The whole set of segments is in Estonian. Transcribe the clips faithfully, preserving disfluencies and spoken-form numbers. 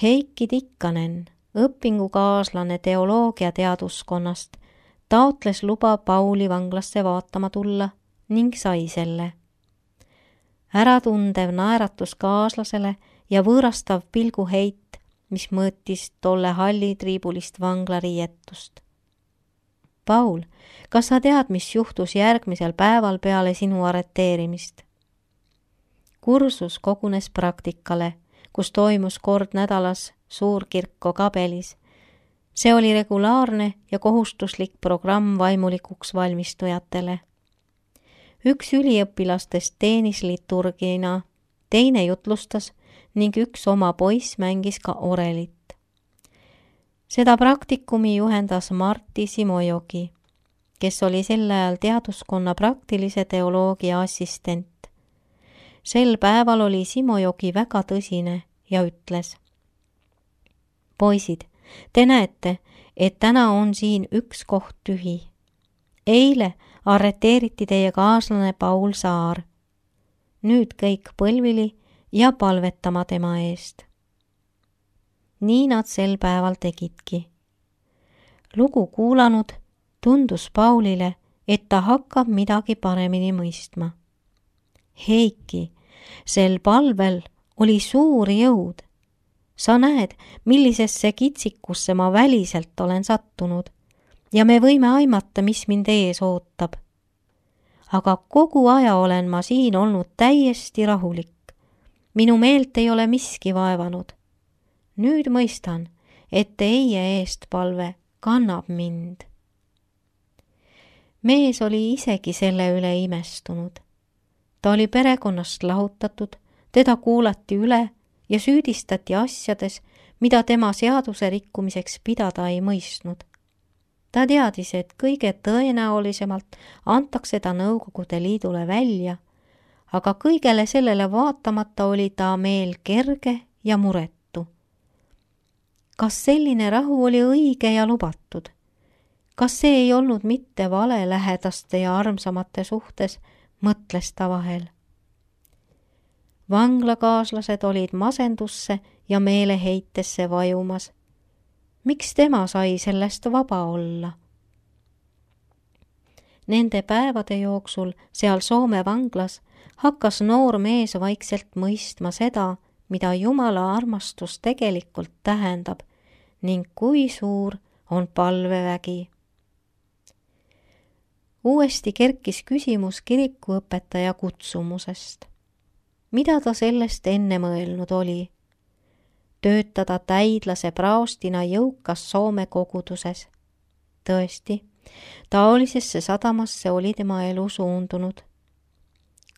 Heiki Tikkanen, õpingukaaslane teoloogiateaduskonnast, taotles luba Pauli vanglasse vaatama tulla ning sai selle. Äratundev naeratus kaaslasele ja võõrastav pilguheit, mis mõõtis tolle hallitriibulist vanglariietust. Paul, kas sa tead, mis juhtus järgmisel päeval peale sinu arreteerimist? Kursus kogunes praktikale, kus toimus kord nädalas suurkirko Kabelis. See oli regulaarne ja kohustuslik programm vaimulikuks valmistujatele. Üks üliõpilastest teenis liturgina, teine jutlustas ning üks oma poiss mängis ka orelit. Seda praktikumi juhendas Martti Simojoki, kes oli sel ajal teaduskonna praktilise teoloogia assistent. Sel päeval oli Simojoki väga tõsine ja ütles: Poisid, te näete, et täna on siin üks koht tühi. Eile arreteeriti teie kaaslane Paul Saar. Nüüd kõik põlvili ja palvetama tema eest. Nii nad sel päeval tegidki. Lugu kuulanud tundus Paulile, et ta hakkab midagi paremini mõistma. Heiki, sel palvel oli suur jõud. Sa näed, millisesse kitsikusse ma väliselt olen sattunud ja me võime aimata, mis mind ees ootab. Aga kogu aja olen ma siin olnud täiesti rahulik. Minu meelt ei ole miski vaevanud. Nüüd mõistan, et teie eest palve kannab mind. Mees oli isegi selle üle imestunud. Ta oli perekonnast lahutatud, teda kuulati üle ja süüdistati asjades, mida tema seaduse rikkumiseks pidada ei mõistnud. Ta teadis, et kõige tõenäolisemalt antakse ta Nõukogude Liidule välja, aga kõigele sellele vaatamata oli ta meel kerge ja muretu. Kas selline rahu oli õige ja lubatud? Kas see ei olnud mitte vale lähedaste ja armsamate suhtes, mõtles ta vahel. Vanglakaaslased olid masendusse ja meeleheitesse vajumas. Miks tema sai sellest vaba olla? Nende päevade jooksul seal Soome vanglas hakkas noor mees vaikselt mõistma seda, mida Jumala armastus tegelikult tähendab ning kui suur on palvevägi. Uuesti kerkis küsimus kirikuõpetaja kutsumusest. Mida ta sellest enne mõelnud oli? Töötada täidlase praostina jõukas Soome koguduses. Tõesti, taolisesse sadamasse oli tema elu suundunud.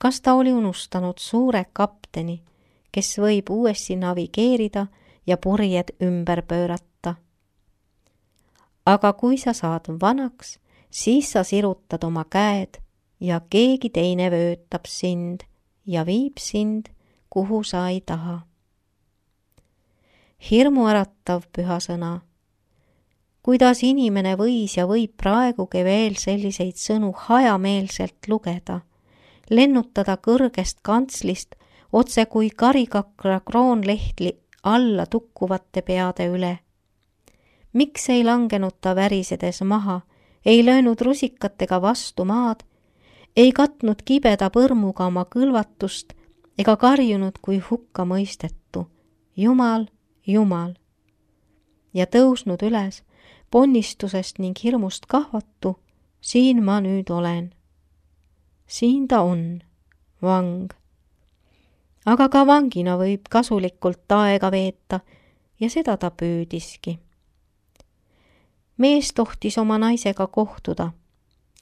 Kas ta oli unustanud suure kapteni, kes võib uuesti navigeerida ja purjed ümber pöörata? Aga kui sa saad vanaks, siis sa sirutad oma käed ja keegi teine vöötab sind ja viib sind, kuhu sa ei taha. Hirmuäratav püha sõna. Kuidas inimene võis ja võib praegugi veel selliseid sõnu hajameelselt lugeda, lennutada kõrgest kantslist otse kui karikakra kroonlehtli alla tukkuvate peade üle. Miks ei langenud ta värisedes maha, ei löönud rusikatega vastu maad, ei katnud kibeda põrmuga oma kõlvatust ega karjunud kui hukka mõistettu. Jumal, Jumal. Ja tõusnud üles, ponnistusest ning hirmust kahvatu, siin ma nüüd olen. Siin ta on, vang. Aga ka vangina võib kasulikult aega veeta ja seda ta püüdiski. Mees tohtis oma naisega kohtuda,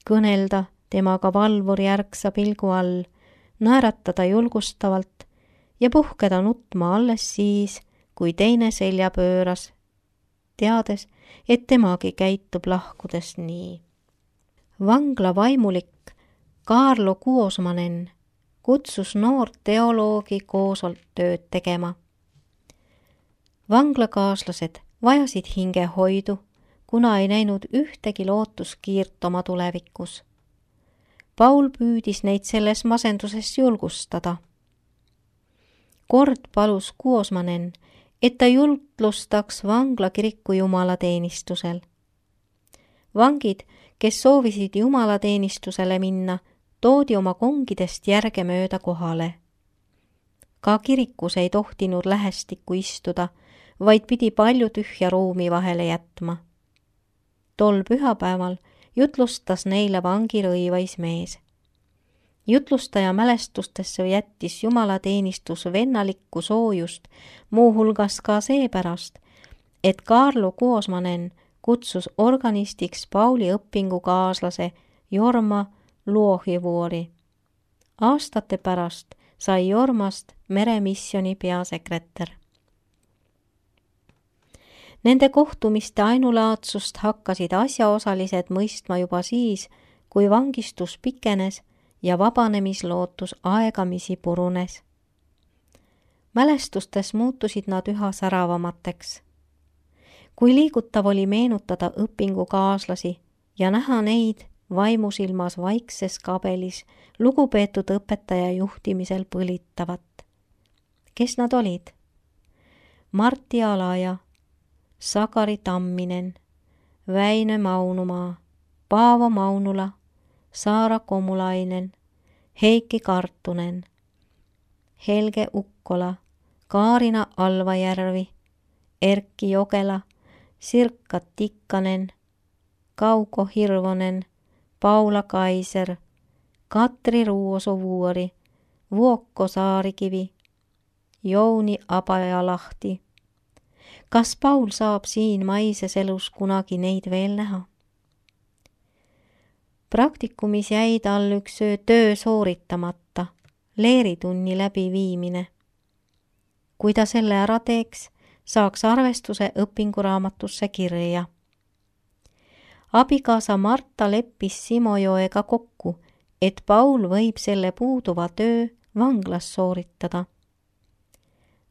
kõnelda temaga valvuri ärksa pilgu all, naeratada julgustavalt ja puhkeda nutma alles siis, kui teine selja pööras, teades, et temagi käitub lahkudes nii. Vangla vaimulik Kaarlo Kuosmanen kutsus noort teoloogi koosolt tööd tegema. Vanglakaaslased vajasid hingehoidu, kuna ei näinud ühtegi lootuskiirt oma tulevikus. Paul püüdis neid selles masenduses julgustada. Kord palus Kuosmanen, et ta jutlustaks vanglakiriku jumalateenistusel. Vangid, kes soovisid jumalateenistusele minna, toodi oma kongidest järgemööda kohale. Ka kirikus ei tohtinud lähestikku istuda, vaid pidi palju tühja ruumi vahele jätma. Tol pühapäeval jutlustas neile vangi rõivais mees. Jutlustaja mälestustesse jättis jumalateenistus vennalikku soojust, muuhulgas ka seepärast, et Kaarlo Kuosmanen kutsus organistiks Pauli õpingukaaslase Jorma Luohivuori. Aastate pärast sai Jormast meremissioni peasekretär. Nende kohtumiste ainulaadsust hakkasid asjaosalised mõistma juba siis, kui vangistus pikenes ja vabanemislootus aegamisi purunes. Mälestustes muutusid nad üha säravamateks. Kui liigutav oli meenutada õpingukaaslasi ja näha neid vaimusilmas vaikses kabelis lugupeetud õpetaja juhtimisel põlitavat. Kes nad olid? Martti Alaja, Sakari Tamminen, Väinö Maunumaa, Paavo Maunula, Saara Komulainen, Heiki Kartunen, Helge Ukkola, Kaarina Alvajärvi, Erkki Jokela, Sirkka Tikkanen, Kauko Hirvonen, Paula Kaiser, Katri Ruuosovuori, Vuokko Saarikivi, Jouni Abajalahti. Kas Paul saab siin maises elus kunagi neid veel näha? Praktikumis jäi tal üks töö sooritamata, leeritunni läbiviimine. Kui ta selle ära teeks, saaks arvestuse õpinguraamatusse kirja. Abikaasa Marta leppis Simojoega kokku, et Paul võib selle puuduva töö vanglas sooritada.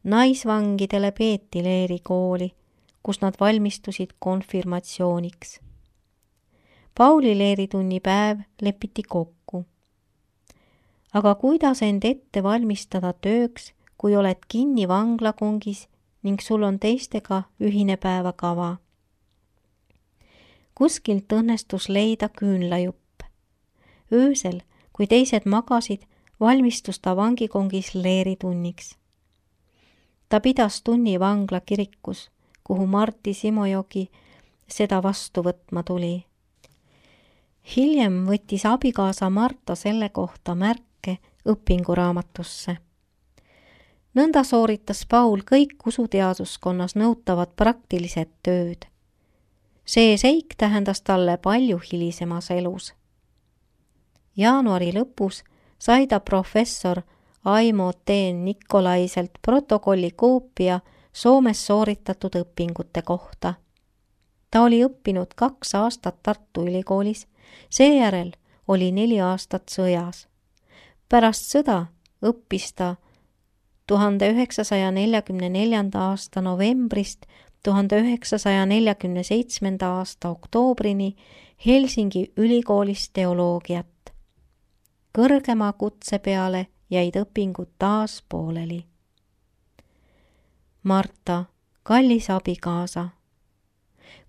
Naisvangidele peeti leerikooli, kus nad valmistusid konfirmatsiooniks. Pauli leeritunnipäev lepiti kokku. Aga kuidas end ette valmistada tööks, kui oled kinni vanglakongis ning sul on teistega ühine päevakava? Kuskilt õnnestus leida küünlajupp. Öösel, kui teised magasid, valmistus ta vangikongis leeritunniks. Ta pidas tunni vangla kirikus, kuhu Martti Simojogi seda vastu võtma tuli. Hiljem võttis abikaasa Marta selle kohta märke õpinguraamatusse. Nõnda sooritas Paul kõik usuteaduskonnas nõutavad praktilised tööd. See seik tähendas talle palju hilisemas elus. Jaanuari lõpus sai ta professor Aimo T. Nikolaiselt protokolli koopia Soomes sooritatud õpingute kohta. Ta oli õppinud kaks aastat Tartu Ülikoolis, seejärel oli neli aastat sõjas. Pärast sõda õppis ta tuhande üheksasaja neljakümne neljanda aasta novembrist tuhande üheksasaja neljakümne seitsmenda aasta oktoobrini Helsingi ülikoolis teoloogiat. Kõrgema kutse peale jäid õpingud taas pooleli. Marta, kallis abikaasa.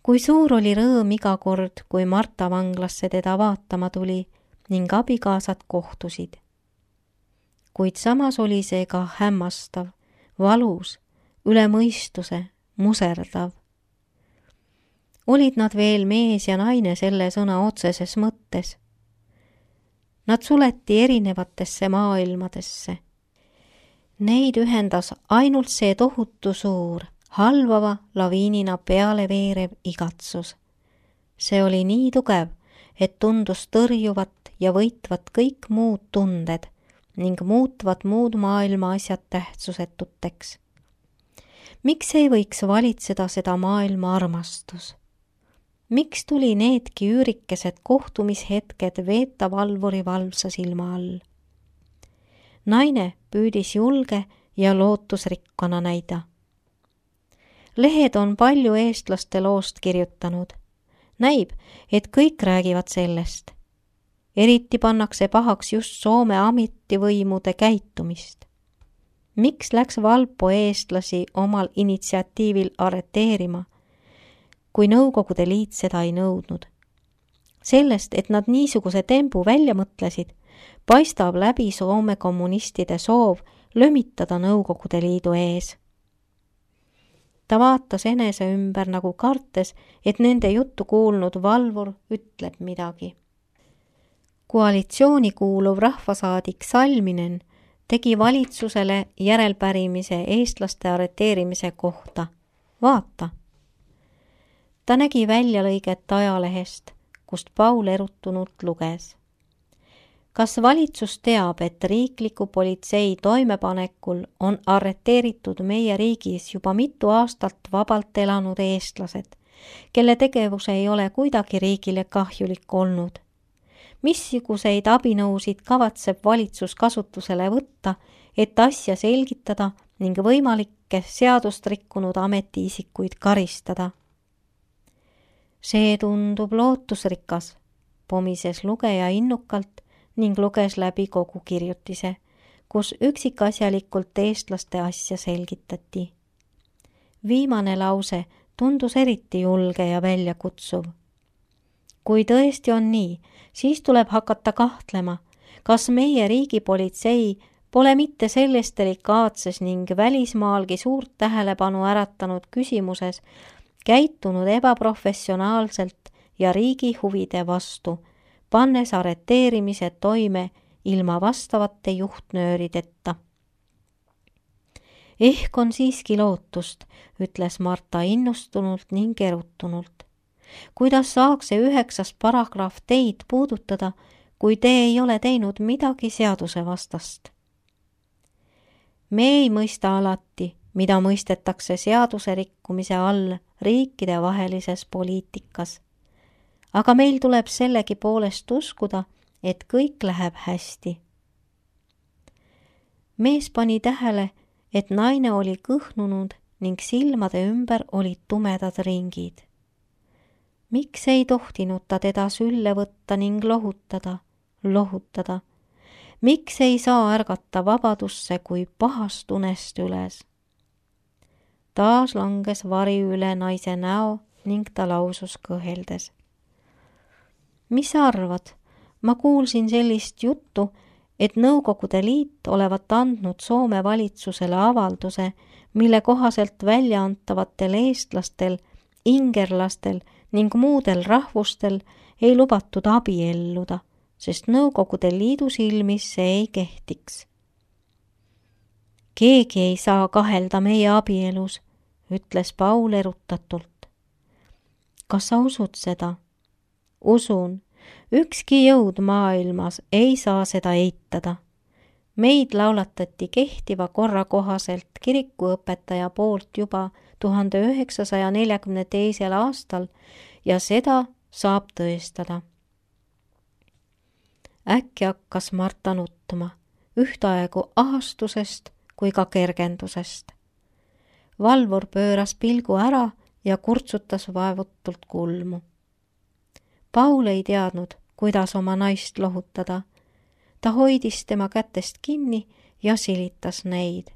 Kui suur oli rõõm iga kord, kui Marta vanglasse teda vaatama tuli ning abikaasad kohtusid. Kuid samas oli see ka hämmastav, valus, üle mõistuse, muserdav. Olid nad veel mees ja naine selle sõna otseses mõttes. Nad suleti erinevatesse maailmadesse. Neid ühendas ainult see tohutu suur, halvava laviinina peale veerev igatsus. See oli nii tugev, et tundus tõrjuvat ja võitvat kõik muud tunded ning muutvat muud maailma asjad tähtsusetuteks. Miks ei võiks valitseda seda maailma armastus? Miks tuli needki üürikesed kohtumishetked veeta valvuri valvsa silma all? Naine püüdis julge ja lootusrikkana näida. Lehed on palju eestlaste loost kirjutanud. Näib, et kõik räägivad sellest. Eriti pannakse pahaks just Soome ametivõimude käitumist. Miks läks Valpo eestlasi omal initsiatiivil arreteerima, kui Nõukogude Liit seda ei nõudnud? Sellest, et nad niisuguse tembu välja mõtlesid, paistab läbi Soome kommunistide soov lömitada Nõukogude Liidu ees. Ta vaatas enese ümber nagu kartes, et nende juttu kuulnud Valvur ütleb midagi. Koalitsiooni kuuluv rahvasaadik Salminen tegi valitsusele järelpärimise eestlaste arreteerimise kohta. Vaata. Ta nägi väljalõiget ajalehest, kust Paul erutunult luges. Kas valitsus teab, et riikliku politsei toimepanekul on arreteeritud meie riigis juba mitu aastat vabalt elanud eestlased, kelle tegevus ei ole kuidagi riigile kahjulik olnud? Missuguseid abinõusid kavatseb valitsus kasutusele võtta, et asja selgitada ning võimalikke seadust rikkunud ametiisikuid karistada? See tundub lootusrikas, pomises lugeja innukalt ning luges läbi kogu kirjutise, kus üksikasjalikult eestlaste asja selgitati. Viimane lause tundus eriti julge ja väljakutsuv. Kui tõesti on nii, siis tuleb hakata kahtlema, kas meie riigipolitsei pole mitte selles delikaatses ning välismaalgi suurt tähelepanu äratanud küsimuses käitunud ebaprofessionaalselt ja riigi huvide vastu, pannes arreteerimise toime ilma vastavate juhtnöörideta. Ehk on siiski lootust, ütles Marta innustunult ning erutunult. Kuidas saaks see üheksas paragrahv teid puudutada, kui te ei ole teinud midagi seaduse vastast? Me ei mõista alati, mida mõistetakse seaduse rikkumise all riikide vahelises poliitikas. Aga meil tuleb sellegi poolest uskuda, et kõik läheb hästi. Mees pani tähele, et naine oli kõhnunud ning silmade ümber olid tumedad ringid. Miks ei tohtinud ta teda sülle võtta ning lohutada, lohutada? Miks ei saa ärgata vabadusse kui pahast unest üles? Taas langes vari üle naise näo ning ta lausus kõheldes. Mis sa arvad? Ma kuulsin sellist juttu, et Nõukogude Liit olevat andnud Soome valitsusele avalduse, mille kohaselt väljaantavatel eestlastel, ingerlastel ning muudel rahvustel ei lubatud abielluda, sest Nõukogude Liidu silmis see ei kehtiks. Keegi ei saa kahelda meie abielus, ütles Paul erutatult. Kas sa usud seda? Usun, ükski jõud maailmas ei saa seda eitada. Meid laulatati kehtiva korra kohaselt kirikuõpetaja poolt juba tuhande üheksasaja neljakümne teisel aastal ja seda saab tõestada. Äkki hakkas Marta nutma, ühtaegu ahastusest kui ka kergendusest. Valvur pööras pilgu ära ja kurtsutas vaevutult kulmu. Paul ei teadnud, kuidas oma naist lohutada. Ta hoidis tema kätest kinni ja silitas neid.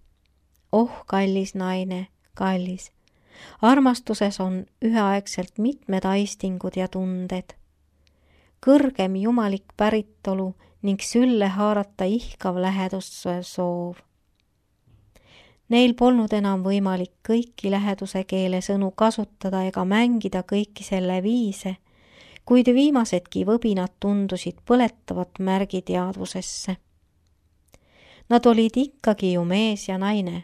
Oh, kallis naine, kallis. Armastuses on üheaegselt mitmed aistingud ja tunded. Kõrgem jumalik päritolu ning sülle haarata ihkav läheduse soov. Neil polnud enam võimalik kõiki läheduse keele sõnu kasutada ega mängida kõiki selle viise, kuid viimasedki võbinad tundusid põletavat märgi teadvusesse. Nad olid ikkagi ju mees ja naine.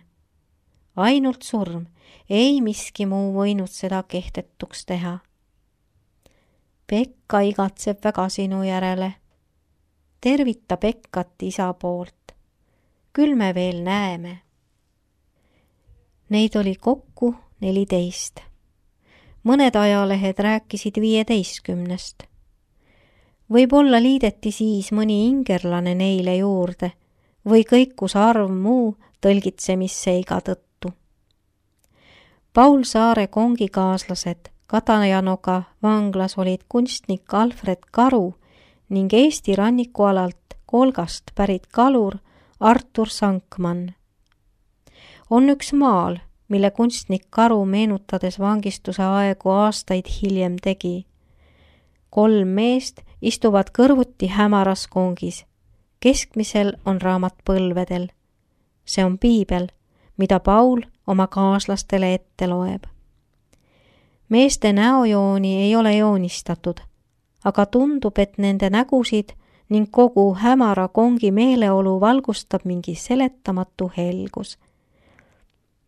Ainult surm, ei miski muu võinud seda kehtetuks teha. Pekka igatseb väga sinu järele. Tervita Pekkat isa poolt. Küll me veel näeme. Neid oli kokku neliteist. Mõned ajalehed rääkisid viieteistkümnest. Võib-olla liideti siis mõni ingerlane neile juurde või kõikus arv muu tõlgitsemisseiga tõttu. Paul Saare kongikaaslased Katajanoga vanglas olid kunstnik Alfred Karu ning Eesti rannikualalt Kolgast pärit kalur Artur Sankmann. on üks maal, mille kunstnik Karu meenutades vangistuse aegu aastaid hiljem tegi. Kolm meest istuvad kõrvuti hämaras kongis. Keskmisel on raamat põlvedel. See on piibel, mida Paul oma kaaslastele ette loeb. Meeste näojooni ei ole joonistatud, aga tundub, et nende nägusid ning kogu hämara kongi meeleolu valgustab mingi seletamatu helgus.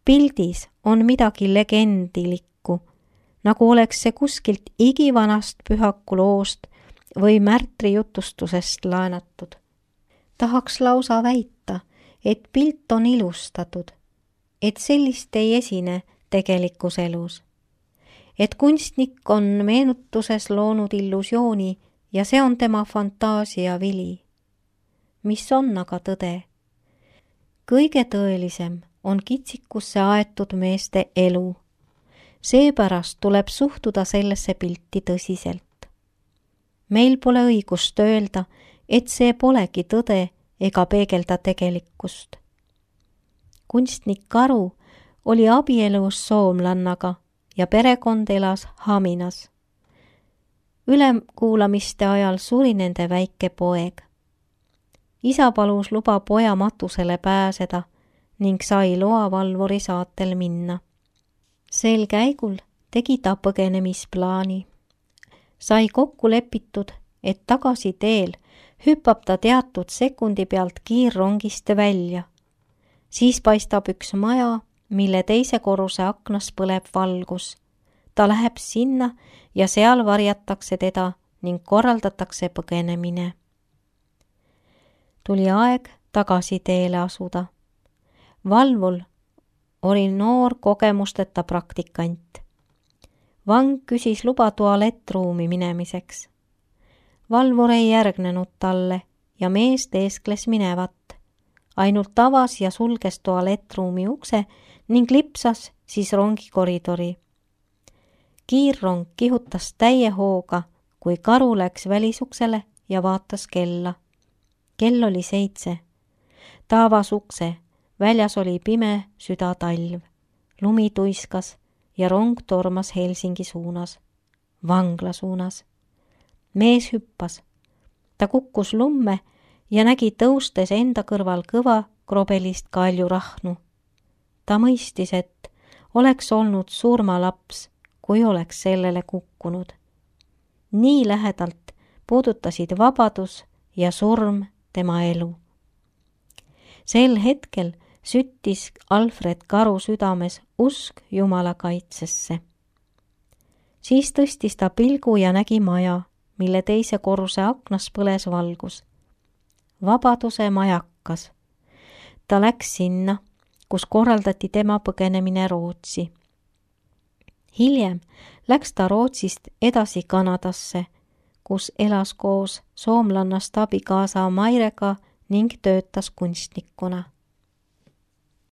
Pildis on midagi legendilikku, nagu oleks see kuskilt igivanast pühaku loost või märtri jutustusest laenatud. Tahaks lausa väita, et pilt on ilustatud, et sellist ei esine tegelikus elus. Et kunstnik on meenutuses loonud illusiooni ja see on tema fantaasia vili. Mis on aga tõde? Kõige tõelisem on kitsikusse aetud meeste elu. Seepärast tuleb suhtuda sellesse pilti tõsiselt. Meil pole õigust öelda, et see polegi tõde ega peegelda tegelikkust. Kunstnik Karu oli abielus soomlannaga ja perekond elas Haminas. Ülekuulamiste ajal suri nende väike poeg. Isa palus luba poja matusele pääseda ning sai loa valvuri saatel minna. Sel käigul tegi ta põgenemisplaani. Sai kokku lepitud, et tagasi teel hüppab ta teatud sekundi pealt kiirrongist välja. Siis paistab üks maja, mille teise korruse aknas põleb valgus. Ta läheb sinna ja seal varjatakse teda ning korraldatakse põgenemine. Tuli aeg tagasi teele asuda. Valvul oli noor kogemusteta praktikant. Vang küsis luba tualettruumi minemiseks. Valvur ei järgnenud talle ja mees teeskles minevat. Ainult avas ja sulges tualettruumi ukse ning lipsas siis rongi koridori. Kiirrong kihutas täie hooga, kui Karu läks välisuksele ja vaatas kella. Kell oli seitse. Ta avas ukse. Väljas oli pime südatalv. Lumi tuiskas ja rong tormas Helsingi suunas. Vangla suunas. Mees hüppas. Ta kukkus lumme ja nägi tõustes enda kõrval kõva krobelist kaljurahnu. Ta mõistis, et oleks olnud surmalaps, kui oleks sellele kukkunud. Nii lähedalt puudutasid vabadus ja surm tema elu. Sel hetkel süttis Alfred Karu südames usk Jumala kaitsesse. Siis tõstis ta pilgu ja nägi maja, mille teise korruse aknas põles valgus. Vabaduse majakas. Ta läks sinna, kus korraldati tema põgenemine Rootsi. Hiljem läks ta Rootsist edasi Kanadasse, kus elas koos soomlannast abikaasa Mairega ning töötas kunstnikuna.